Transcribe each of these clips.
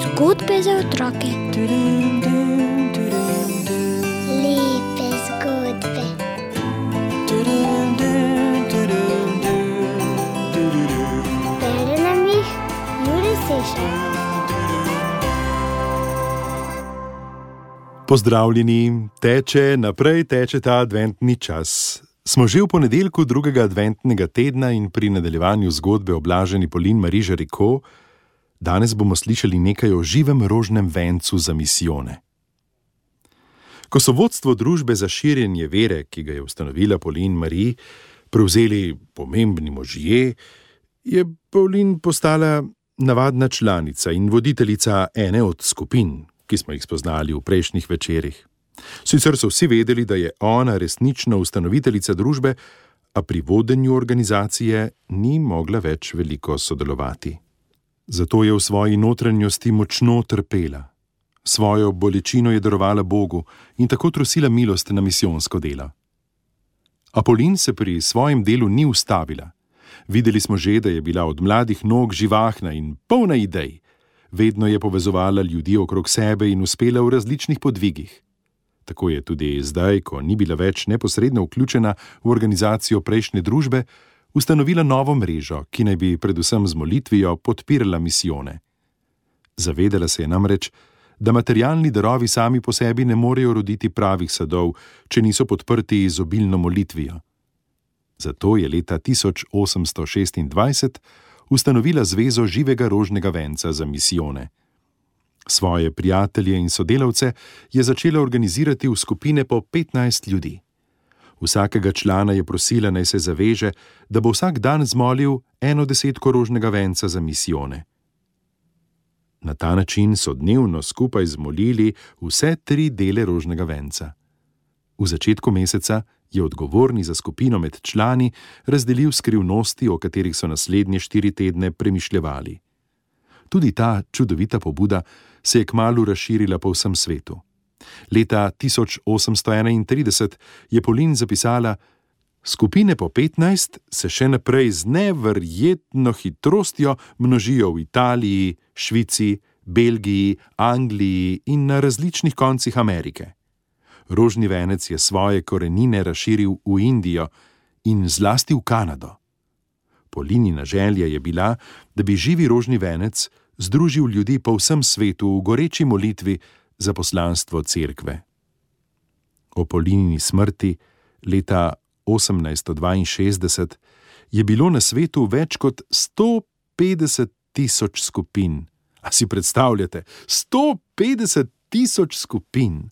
Zgodbe za otroke. Lepe zgodbe. Bere nam jih Jure Sešar. Pozdravljeni, teče ta adventni čas. Smo že v ponedeljku drugega adventnega tedna in pri nadaljevanju zgodbe o blaženi Pauline Marie Jericho. Danes bomo slišali nekaj o živem rožnem vencu za misijone. Ko so vodstvo družbe za širjenje vere, ki ga je ustanovila Pauline Marie, prevzeli pomembni možje, je Pauline postala navadna članica in voditeljica ene od skupin, ki smo jih spoznali v prejšnjih večerih. Sicer so vsi vedeli, da je ona resnična ustanoviteljica družbe, a pri vodenju organizacije ni mogla več veliko sodelovati. Zato je v svoji notranjosti močno trpela. Svojo bolečino je darovala Bogu in tako trosila milost na misijonsko delo. A Pauline se pri svojem delu ni ustavila. Videli smo že, da je bila od mladih nog živahna in polna idej. Vedno je povezovala ljudi okrog sebe in uspela v različnih podvigih. Tako je tudi zdaj, ko ni bila več neposredno vključena v organizacijo prejšnje družbe, ustanovila novo mrežo, ki naj bi predvsem z molitvijo podpirala misijone. Zavedala se je namreč, da materialni darovi sami po sebi ne morejo roditi pravih sadov, če niso podprti z obilno molitvijo. Zato je leta 1826 ustanovila Zvezo živega rožnega venca za misijone. Svoje prijatelje in sodelavce je začela organizirati v skupine po 15 ljudi. Vsakega člana je prosila, naj se zaveže, da bo vsak dan zmolil 1/10 rožnega venca za misijone. Na ta način so dnevno skupaj zmolili vse 3 dele rožnega venca. V začetku meseca je odgovorni za skupino med člani razdelil skrivnosti, o katerih so naslednje 4 tedne premišljevali. Tudi ta čudovita pobuda se je kmalu razširila po vsem svetu. Leta 1831 je Pauline zapisala: skupine po 15 se še naprej z neverjetno hitrostjo množijo v Italiji, Švici, Belgiji, Angliji in na različnih koncih Amerike. Rožni venec je svoje korenine razširil v Indijo in zlasti v Kanado. Paulinina želja je bila, da bi živi rožni venec združil ljudi po vsem svetu v goreči molitvi za poslanstvo cerkve. O Paulinini smrti leta 1862 je bilo na svetu več kot 150.000 skupin. A si predstavljate, 150.000 skupin!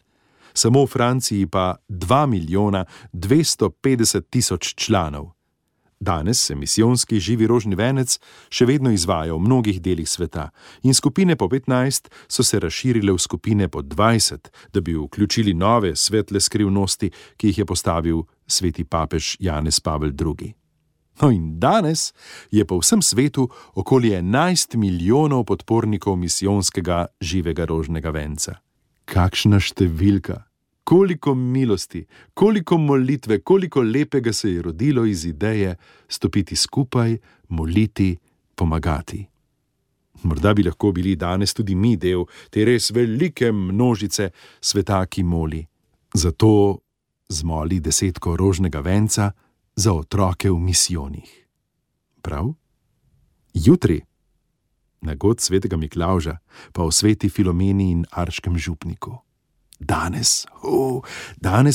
Samo v Franciji pa 2.250.000 članov. Danes se misijonski živi rožni venec še vedno izvaja v mnogih delih sveta in skupine po 15 so se razširile v skupine po 20, da bi vključili nove svetle skrivnosti, ki jih je postavil sveti papež Janez Pavel II. No in danes je po vsem svetu okoli 11 milijonov podpornikov misijonskega živega rožnega venca. Kakšna številka! Koliko milosti, koliko molitve, koliko lepega se je rodilo iz ideje stopiti skupaj, moliti, pomagati. Morda bi lahko bili danes tudi mi del te res velike množice sveta, ki moli. Zato zmoli 10 rožnega venca za otroke v misijonih. Prav? Jutri, na god svetega Miklavža, pa o sveti Filomeni in Arškem župniku. Danes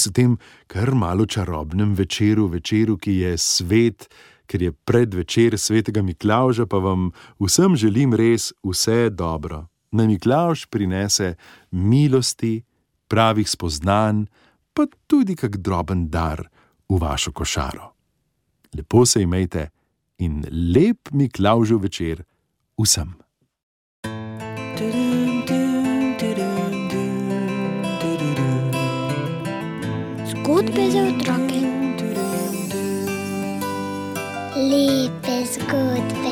v tem kar malo čarobnem večeru, ki je svet, ker je predvečer svetega Miklavža, pa vam vsem želim res vse dobro. Naj Miklavž prinese milosti, pravih spoznanj, pa tudi kak droben dar v vašo košaro. Lepo se imejte in lep Miklavžev večer vsem. Zgodbe za otroke. Lepe zgodbe.